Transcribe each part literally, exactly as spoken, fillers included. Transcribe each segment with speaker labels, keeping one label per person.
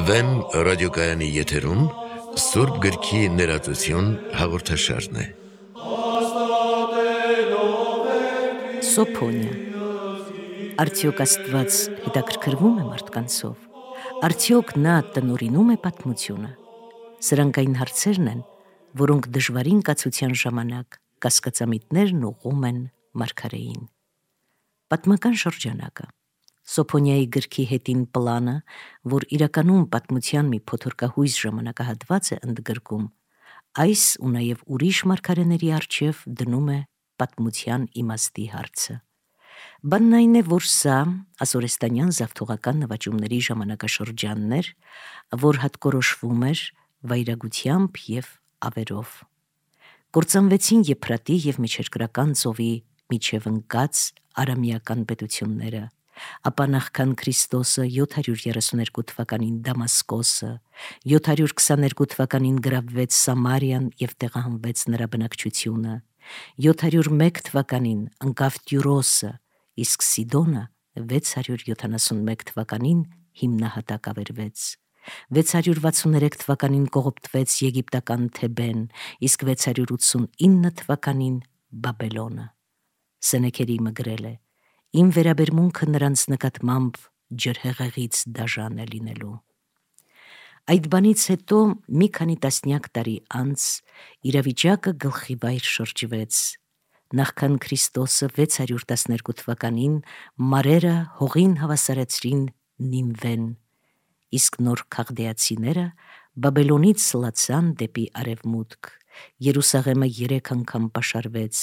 Speaker 1: Վեմ ռադիոկայանի եթերում Սուրբ գրքի ներածություն հաղորդաշարն է։
Speaker 2: Սոփոնիա։ Արդյոք Աստված հետաքրքրվում է մարդկանցով։ Արդյոք նա տնօրինում է պատմությունը։ Սրանք այն հարցերն են, որոնք դժվարին կացության ժամանակ կասկածամիտներն ուղղում են մարգարեին։ Պատմական շրջանակը։ Սոփոնիայի գրքի հետին պլանը, որ իրականում պատմության մի փոթորկահույս ժամանակահատված է ընդգրկում, այս ու նաև ուրիշ մարգարեների առջև դնում է պատմության իմաստի հարցը։ Բանն այն է, որ սա ասորեստանյան զավթողական նվաճումների ժամանակաշրջանն էր, որ հատկորոշվում էր վայրագությամբ և ավերով։ Կործանվեցին Եփրատի և Միջերկրական ծովի միջև ընկած արամեական պետությունները, ապա նախքան Քրիստոսը յոթ հարյուր երեսուներկու թվականին Դամասկոսը, յոթ հարյուր քսաներկու թվականին գրավվեց Սամարիան և տեղահանվեց նրա բնակչությունը, յոթ հարյուր մեկ թվականին ընկավ Տյուրոսը, իսկ Սիդոնը վեց հարյուր յոթանասունմեկ թվականին հիմնահատակ ավերվեց, վեց հարյուր վաթսուներեք թվականին կողոպտվեց եգիպտական Թեբեն, իսկ վեց հարյուր ութսունինը թվականին Բաբելոնը։ Սենեքերիմը գրել է. «Իմ վերաբերմունքը նրանց նկատմամբ ջրհեղեղից դաժան է լինելու»։ Այդ բանից հետո մի քանի տասնյակ տարի անց իրավիճակը գլխիվայր շրջվեց։ Նախքան Քրիստոսը վեց հարյուր տասներկու թվականին մարերը հողին հավասարեցրին Նինվեն, իսկ նոր քաղդեացիները Բաբելոնից սլացան դեպի արևմուտք։ Երուսաղեմը երեք անգամ պաշարվեց,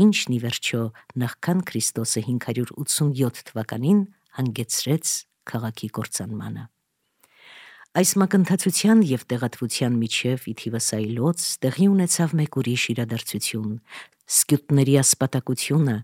Speaker 2: ինչն ի վերջո նախքան Քրիստոսը հինգ հարյուր ութսունյոթ թվականին հանգեցրեց քաղաքի կործանմանը։ Այս մակընթացության և տեղատվության միջև ի թիվս այլոց տեղի ունեցավ մեկ ուրիշ իրադարձություն՝ սկյութների ասպատակությունը,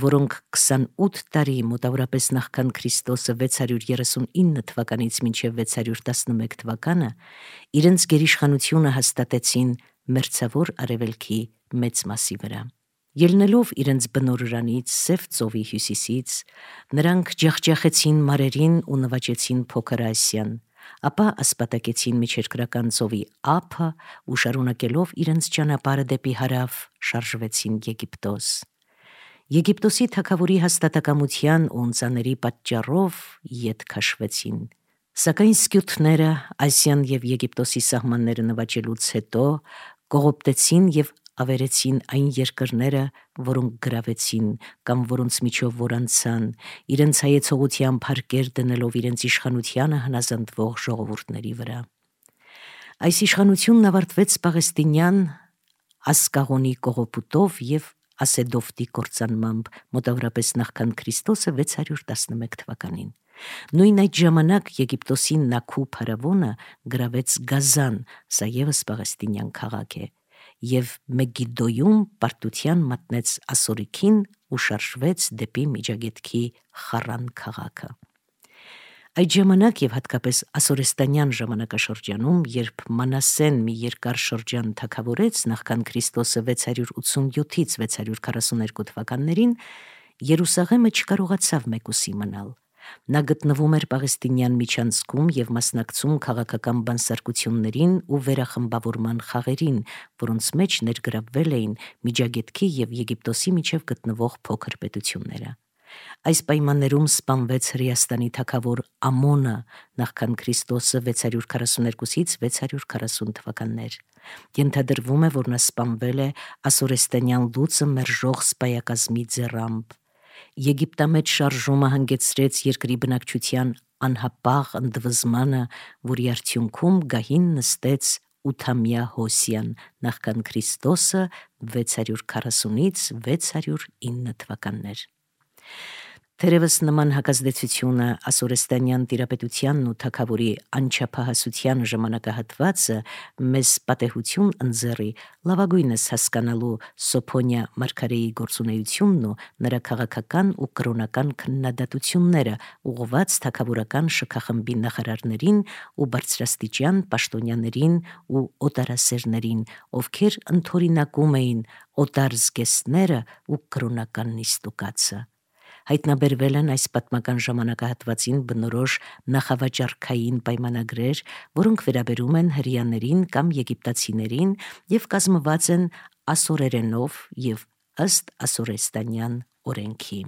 Speaker 2: որոնք քսանութ տարի մոտավորապես նախքան Քրիստոսը վեց հարյուր երեսունինը թվականից մինչև վեց հարյուր տասնմեկ թվականը իրենց գերիշխանությունը հաստատեցին Մերձավոր Արևելքի մեծ մասի վրա։ Ելնելով իրենց բնօրրանից Սև ծովի հյուսիսից, նրանք ջախջախեցին մարերին ու նվաճեցին Փոքր Ասիան, ապա ասպատակեցին Միջերկրական ծովի ափը ու շարունակելով իրենց ճանապարհը դեպի հարավ շարժվեցին Եգիպտոս։ Եգիպտոսի թագավորի հաստատակամության ու ընծաների պատճառով ետ քաշվեցին։ Սակայն սկյութները Ասիան և Եգիպտոսի սահմանները նվաճելուց հետո կողոպտեցին և ավերեցին այն երկրները, որոնք գրավեցին կամ որոնց միջով որ անցան, իրենց հայեցողությամբ հարկեր դնելով իրենց իշխանությանը հնազանդվող ժողովուրդների վրա։ Այս իշխանությունն ավարտվեց Պաղեստինյան Ասկաղոնի կողոպուտով և Ասեդովտի կործանմամբ, մոտավորապես նախքան Քրիստոսը վեց հարյուր տասնմեկ թվականին։ Նույն այդ ժամանակ Եգիպտոսի Նաքու փարավոնը գրավեց Գազան, սա ևս պաղեստինյան քաղաք է, և Մեգիդոյում պարտության մատնեց Ասորիքին ու շարժվեց դեպի Միջագետքի Խառան քաղաքը։ Այդ ժամանակ և հատկապես ասորեստանյան ժամանակաշրջանում, երբ Մանասեն մի երկար շրջան թագավորեց նախքան Քրիստոսը վեց հարյուր ութսունյոթից վեց հարյուր քառասուներկու թվականներին, Երուսաղեմը չկարողացավ մեկուսի մնալ։ Նա գտնվում էր Պաղեստինյան միջանցքում և մասնակցում քաղաքական բանսարկություններին ու վերախմբավորման խաղերին, որոնց մեջ ներգրավվել էին Միջագետքի և Եգիպտոսի միջև գտնվող փոքր պետությունները։ Այս պայմաններում սպանվեց Հրեաստանի թագավոր Ամոնը նախքան Քրիստոսը վեց հարյուր քառասուներկուից վեց հարյուր քառասուն թվականներ։ Ենթադրվում է, որ նա սպանվել է ասորեստանյան լուծը մերժող սպայակազմի ձեռամբ։ Եգիպտամեջ շարժումը հանգեցրեց երկրի բնակչության անհապաղ ընդվզմանը, որի արդյունքում գահին նստեց ութամյա Հոսիան նախքան Քրիստոսը վեց հարյուր քառասունից վեց հարյուր ինը թվականներ։ Թերևս նման հակազդեցությունը ասորեստանյան տիրապետությանն ու թագավորի անչափահասության ժամանակահատվածը մեզ պատեհություն ընձեռի լավագույնս հասկանալու Սոփոնիա մարգարեի գործունեությունն ու նրա քաղաքական ու կրոնական քննադատությունները ուղղված թագավորական շքախմբի նախարարներին ու բարձրաստիճան պաշտոնյաներին ու օտարասերներին, ովքեր ընդօրինակում էին օտար զգեստները ու կրոնական նիստուկացը։ Հայտնաբերվել են այս պատմական ժամանակահատվածին բնորոշ նախավաճառքային պայմանագրեր, որոնք վերաբերում են հրեաներին կամ եգիպտացիներին եւ կազմված են ասորերենով եւ ըստ ասորեստանյան օրենքի։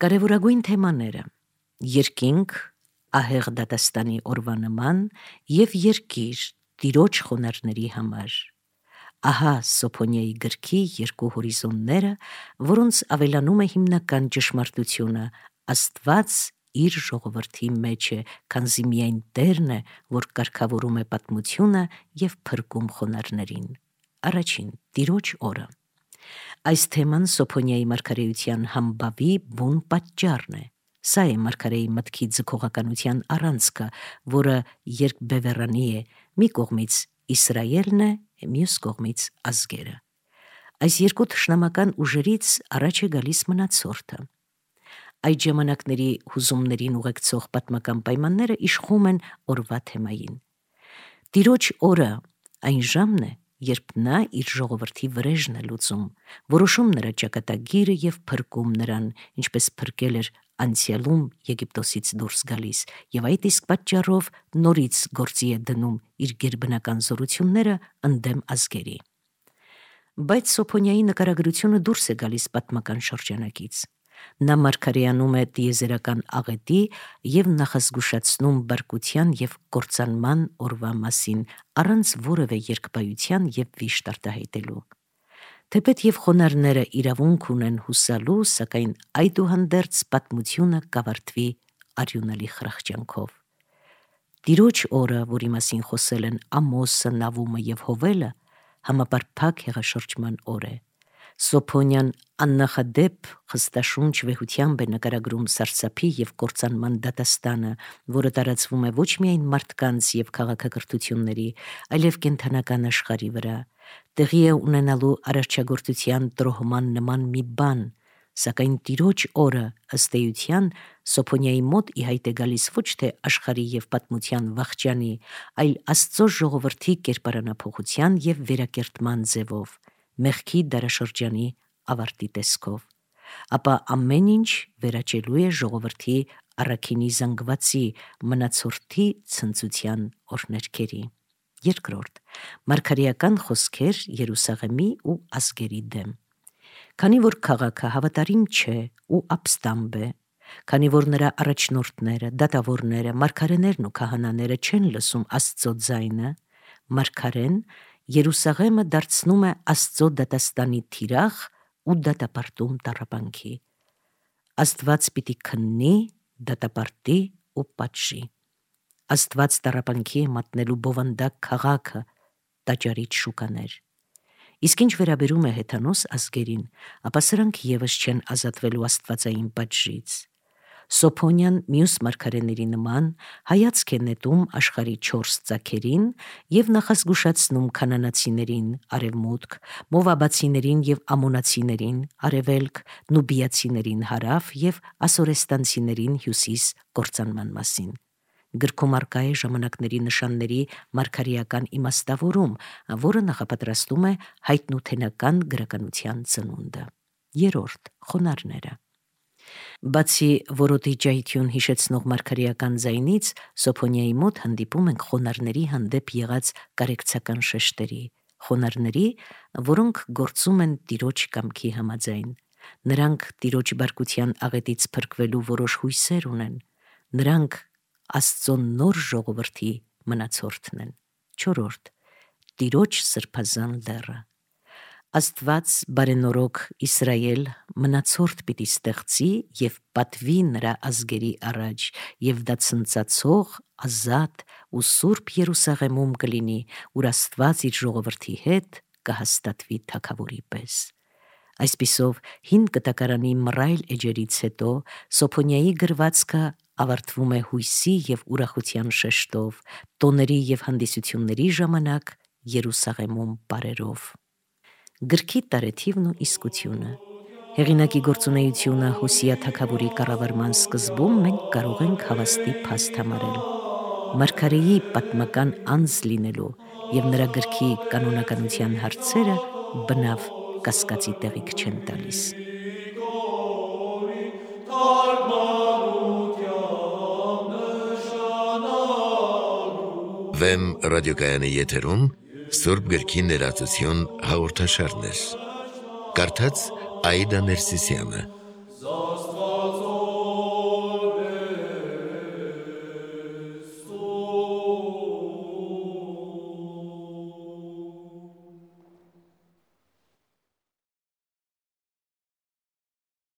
Speaker 2: Կարևորագույն թեմաները՝ երկինք, ահեղ դատաստանի օրվա նման եւ երկիր տիրոջ խոնարհների համար։ Ահա Սոփոնիայի գրքի երկու հորիզոնները, որոնց ավելանում է հիմնական ճշմարտությունը՝ Աստված իր ժողովրդի մեջ է, քանզի միայն Տերն է, որ կարգավորում է պատմությունը եւ փրկում խոնարհներին։ Առաջին՝ Տիրոջ օրը։ Այս թեման Սոփոնիայի մարգարեության համբավի բուն պատճառն է։ Սա է մարգարեի մտքի ձգողականության առանցքը, որը երկբևեռանի է, մի կողմից Իսրայելն է, մյուս կողմից ազգերը։ Այս երկու թշնամական ուժերից առաջ է գալիս մնացորդը։ Այդ ժամանակների հուզումներին ուղեկցող պատմական պայմանները իշխում են օրվա թեմային։ Տիրոջ օրը այն ժամն է, երբ նա իր ժողովրդի վրեժն է լուծում, որոշում նրա ճակատագիրը եւ փրկում նրան, ինչպես փրկել էր անցյալում Եգիպտոսից դուրս գալիս, եւ այդ իսկ պատճառով նորից գործի է դնում իր գերբնական զորությունները ընդդեմ ազգերի։ Բայց Սոփոնիայի նկարագրությունը դուրս է գալիս պատմական շրջանակից։ Նա մարգարեանում է տիեզերական աղետի եւ նախազգուշացնում բարկության եւ կործանման օրվա մասին, առանց որևէ երկբայության եւ վիշտ արտահայտելու։ Թեպետ եւ խոնարհները իրավունք ունեն հուսալու, սակայն այդուհանդերձ պատմությունը կավարտվի արյունալի խրախճանքով։ Տիրոջ օրը, որի մասին խոսել են Ամոսը, Նավումը եւ Հովելը, համապարփակ հեղաշրջման օր է։ Սոփոնյան աննախադեպ խստաշունչ վեհությամբ է նկարագրում սարսափի եւ կործանման դատաստանը, որը տարածվում է ոչ միայն մարդկանց եւ քաղաքակրթությունների, այլև կենդանական աշխարհի վրա։ Տեղի է ունենալու արարչագործության տրոհման նման մի բան, սակայն Տիրոջ օրը ըստ էության Սոփոնիայի մոտ ի հայտ է գալիս ոչ թե աշխարհի եւ պատմության վախճանի, այլ Աստծո ժողովրդի կերպարանափոխության եւ վերակերտման ձևով, մեղքի դարաշրջանի ավարտի տեսքով։ Ապա ամեն ինչ վերաճելու է ժողովրդի առաքինի զանգվածի, մնացորդի ցնծության օրհներքերի։ Երկրորդ՝ մարգարեական խոսքեր Երուսաղեմի ու ազգերի դեմ։ Քանի որ քաղաքը հավատարիմ չէ ու ապստամբ է, քանի որ նրա առաջնորդները, դատավորները, մարգարեներն ու քահանաները չեն լսում Աստծո ձայնը, մարգարեն Երուսաղեմը դարձնում է Աստծո դատաստանի թիրախ ու դատապարտում տառապանքի։ Աստված պիտի քննի, դատապարտի ու պատժի։ Աստված տառապանքի է մատնելու բովանդակ քաղաքը, տաճարիչ շուկաներ։ Իսկ ինչ վերաբերում է հեթանոս ազգերին, ապա սրանք եւս չեն ազատվելու աստվածային պատժից։ Սոփոնյան մյուս մարգարեների նման հայացք է նետում աշխարհի չորս ծագերին եւ նախազգուշացնում քանանացիներին արևմուտք, մովաբացիներին եւ ամոնացիներին արևելք, նուբիացիներին հարավ եւ ասորեստանցիներին հյուսիս կործանման մասին։ Գրքում առկա է ժամանակների նշանների մարգարեական իմաստավորում, որը նախապատրաստում է հայտնութենական գրականության ծնունդը։ Երրորդ՝ խոնարհները։ Բացի որոտի ջահիթյուն հիշեցնող մարգարեական ձայնից, Սոփոնիայի մոտ հանդիպում ենք խոնարհների հանդեպ եղած կարեկցական շեշտերի, խոնարհների, որոնք գործում են Տիրոջ կամքի համաձայն։ Նրանք Տիրոջ բարկության աղետից փրկվելու որոշ հույսեր ունեն։ Նրանք Աստծո նոր ժողովրդի մնացորդն են։ Չորրորդ՝ Տիրոջ սրբազան լեռը։ Աստված բարենորոք Իսրայել մնացորդ պիտի ստեղծի եւ պատվի նրա ազգերի առաջ, եւ դա ցնծացող, ազատ ու սուրբ Երուսաղեմում կլինի, ուր Աստված իր ժողովրդի հետ կհաստատվի թագավորի պես։ Այսպիսով հին կտակարանի մռայլ էջերից հետո Սոփոնիայի գրվածքը ավարտվում է հույսի եւ ուրախության շեշտով, տոների եւ հանդիսությունների ժամանակ Երուսաղեմում պարերով։ Գրքի տարեթիվն ու իսկությունը։ Հեղինակի գործունեությունը Հոսիա թագավորի կառավարման սկզբում մենք կարող ենք հավաստի փաստ համարել։ Մարգարեի պատմական անձ լինելու եւ նրա գրքի կանոնականության հարցերը բնավ կասկածի տեղիք չեն տալիս։
Speaker 1: Վեմ ռադիոկայանի եթերում Սուրբ գրքի ներածություն հաղորդաշարներ։ Կարդաց Աիդա Ներսիսյանը։